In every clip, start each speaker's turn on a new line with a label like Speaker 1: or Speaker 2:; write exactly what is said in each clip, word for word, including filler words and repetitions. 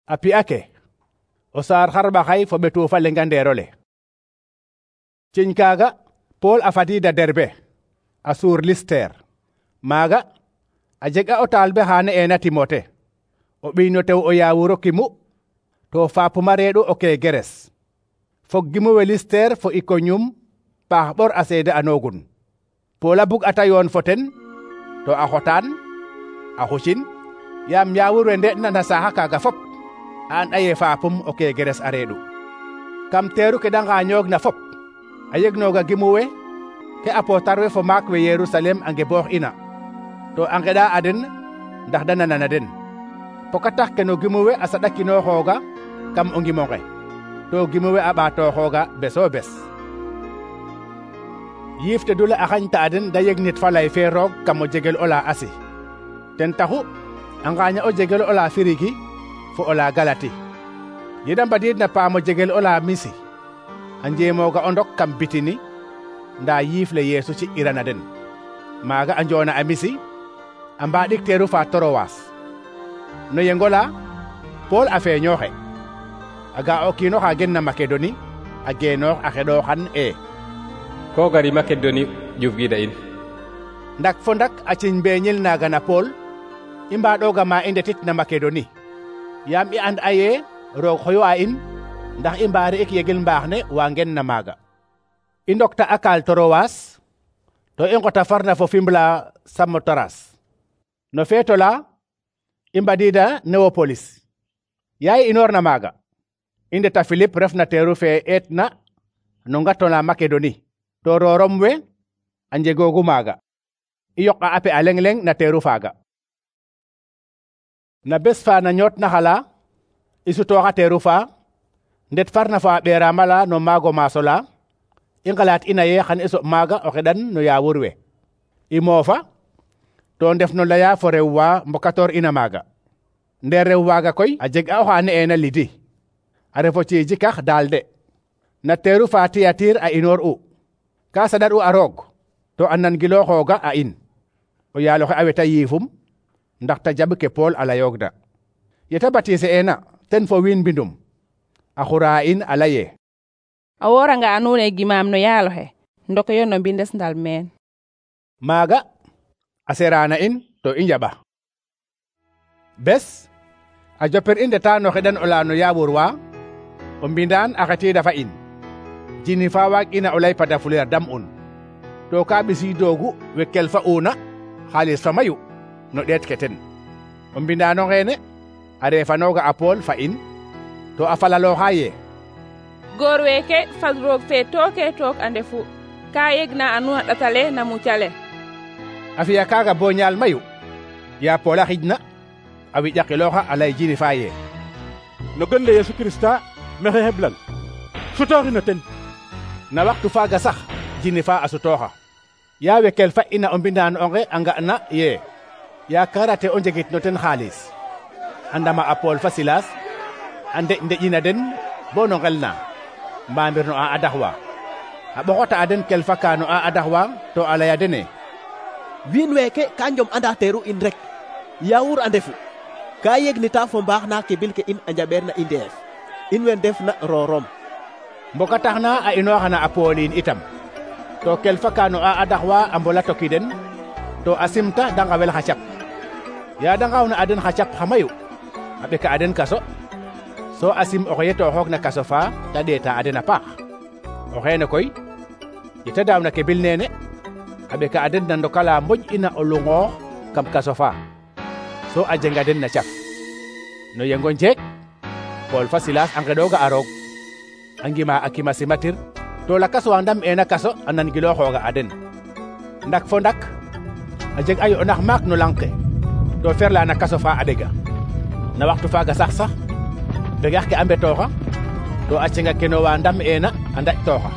Speaker 1: a pi'ake o saar xarɓaxay fo ɓetu fa lenga ndeerole. ciñ kaaga Pool a fadiida Derbe a suur Lister. maaga a jeg'a o taalibe xa ne'eena Timote, o ɓiy no tew o yaawuro kimu to faapuma reeɗu o Kegeres. fog gimu we Lister fo Ikoniyum paax ɓor a seede anoogun. Pool a bug ata yoon fo ten to a xotaan a xucin yaam yaawur we nde'na na saaxa kaaga fop a an'a ye faapum o Kegeres a reeɗu. kam teeru ke da ngaañoogna fop a yegnooga gimu we ke apootar we fo maak we Yerusalem a ngeboox ina to a ngeɗa a den ndax da nanana den. poka tax ke no gimu we a saɗakinooxooga kam o ngimo nge to gimu we a ɓaatooxooga beso bes. yiif te dule a xañta a den da yeg nit fa lay fe roog kam o jegel ola Asi. ten taxu a ngaaña o jegel ola Firigi fo ola Galati. yeda mbadiid na paam o jegel ola Misi a njeemooga o ndok kam Bitini nda yiif le Yeesu ci irana den. maaga a njoona a Misi a mbaaɗik teeru fa Torowas. no yengola Pool a feeñooxe a ga o kiino xa gen na Makedoni a geenoox a xeɗooxan e
Speaker 2: ko gari Makedoni ƴufgiida in.
Speaker 1: ndak fo ndak a ciñ mbeeñil naaga na Pool i mbaaɗooga ma i ndetit na Makedoni yaam i and a ye roog xoyu'a in ndax i mbaari ik yegil mbaax ne wa ngen na maaga. i ndokta a kaal Torowas to i ngota farna fo Fimbla Samotaras. no feeto la i mbadiida Newopolis. yaa i inoorna maaga i ndeta Filip refna teeru fe eetna no ngatona Makedoni to roorom we a njegoogu maaga. i yoqa a pe a leng leng na teeru faaga. na bes fa na ñoot na xala i sutooxa teeru fa ndet farna fa a ɓeeraama la no maago maaso la i ngalaat ina ye xan i soɓ maaga o xeɗan no yaawur we. i moofa to ndef no laya fo rew wa mbokatoor ina maaga. ndeer rew waaga koy a jeg a oxa ne'eena Lidi a refo ciijikax Daalde. na teeru fa Tiyatir a inoor u ka saɗar u a roog to a nangilooxooga a in. o yaal oxe a weta yiifum ndax ta jaɓ ke Pool a layoogna. yeta batiise eena ten fo wiin mbindum a xura in a laye
Speaker 3: a wooranga a nuun e gimaam no yaal oxe ndokoyo no mbindes ndal meen.
Speaker 1: maaga a seraana in to i njaɓa. bes a jopir i ndeta no xeɗan ola no yaawur wa o mbindaan a xetiida fa in jini fa waag ina o lay padafuleer dam un to ka ɓisiidoogu we kel fa una xaalis fa mayu no ɗeet ke ten. o mbindaano ngeene a reefanooga a Pool fa in to a falalooxa ye
Speaker 3: goor weeke fal roog fe tooke took a ndefu ka yegna a nuun a ɗatale na mucale.
Speaker 1: a fiya kaaga bo ñaal mayu yaa Pool a xijna a wiƴakilooxa a lay jini fa ye
Speaker 4: no gon le Yesu Krista maxey xeblan sutooxino ten.
Speaker 1: na waxtu faaga sax jini fa a sutooxa yaa wekel fa ina o mbindaan onge a nga'na ye yakarate o njegit no ten xaalis a ndama a Pool fa Silas a ndeƴ ndeƴina den bo no ngel na mbamir no a adaxwa a ɓoxota a den kel fa ka no a adaxwa to a laya dene
Speaker 5: wiin weeke ka njom anda teeru in rek yaawur a ndefu ka yegnita fo mbaax na kebil ke in a njaɓeer na i ndeef in we ndef na roorom.
Speaker 1: mboka tax na a inooxana a Pooliin itam to kel fa ka no a adaxwa a mbola toki den to a simta da ngawel xa cap. yaa da ngawna a den xa cap xa mayu a ɓeka a den kaso so a sim oxe yetooxoog na kaso fa ta ɗeeta a den a paax. o xeene koy yeta daawna ke bil neene a ɓeka a den na ndokala moƴ ina o lungoox kam kaso fa so a jenga den na cap. no yengo njeek Pool fa Silas a ngeɗooga a roog a ngima a kima simatir to lakas wa ndam eena kaso a nangilooxooga a den. ndak fo ndak a jeg a yo'nax maak no lang ke to ferla na kaso fa a ɗega. na waxtu faaga sax sax begax ke a mbetooxa to a cenga keno wa ndam eena a ndaƴtooxa.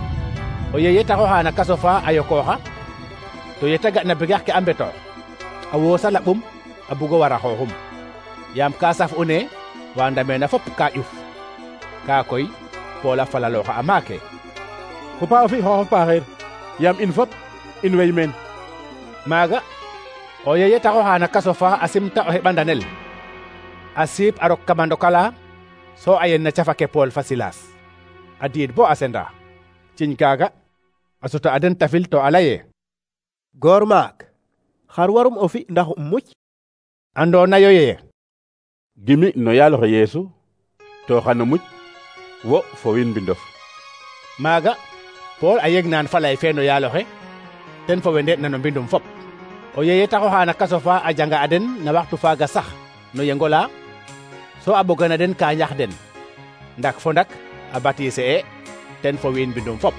Speaker 1: o yeye taxoxa na kaso fa a yokooxa to yeta ga na begax ke a mbetoox a woosa laɓum a bugo wara xooxum yaam ka saf u ne wa ndameena fop ka ƴuf. ka koy Pool a falalooxa a maake
Speaker 4: fo pa o fi xooxof paaxeer yaam in fop in wey meen.
Speaker 1: maaga o yeye taxoxa na kaso fa a simta o heɓandanel a siip a rok kama ndokala so a yen na cafake Pool fa Silas a diid bo a senda ciñ kaaga a suta a den tafil to a laye
Speaker 5: goor maak xar warum o fi ndax um muc
Speaker 1: andoona yo ye
Speaker 4: gimi no yaaloxe Yeesu to xano muc wo fo wiin mbindof.
Speaker 1: maaga Pool a yeg naan falay fe no yaaloxe ten fo we nde'na no mbindum fop o yeye taxoxa na kaso fa a janga a den na waxtu faaga sax no yengola so a ɓogana den ka ñax den ndak fo ndak a baptiser e ten fo wiin mbindum fop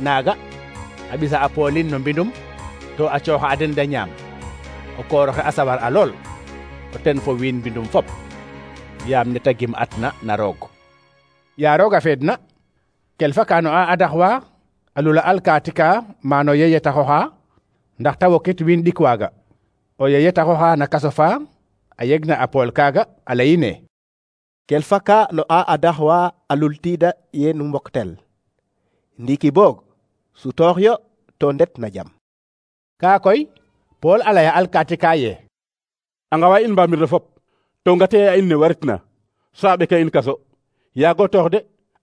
Speaker 1: naaga a ɓisa a Poolin no mbindum to a cooxa a den da ñaam o kooroxe a sawar a lool o ten fo wiin mbindum fop yaam neta gim atna na roog ya rooga feedna kelfa kano a adaxwa a lula alkaati ka mano yeye taxoxa ndax ta wokit wiin ɗik waaga o yeye taxoxa na kaso fa a yegna a Pool kaaga a leyine
Speaker 5: kelfa ka no a adaxwa a lultiida ye nu mboktel ndiiki boog sutoox yo to ndet na jam
Speaker 1: kaa koy Pool a laya alkaati ka ye
Speaker 4: a ngawa in mbamir fop to ngate a in ne waritna so a ɓeka in kaso yaago toox de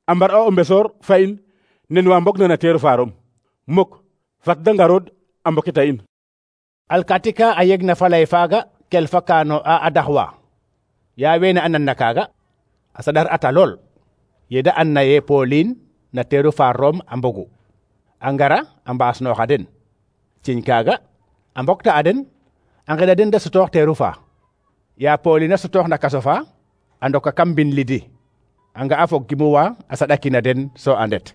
Speaker 4: a mbar a o mbesoor fa in nen wa mbog na na teeru faarom muk fat da ngarod a mbokita in
Speaker 1: alkaati ka a yegna falay faaga kelfa kaano a adaxwa ya wene a nanna kaaga a saɗar ata lool yeda anna ye Poolin na teeru faarom a mbogu a ngara a mbaasnooxa den ciñ kaaga a mbokta a den a ngeɗa den da sutoox teeru fa ya Poolin a sutoox na kaso fa a ndoka kam mbin lidi a nga a fog gimuwa a saɗakina den so a ndet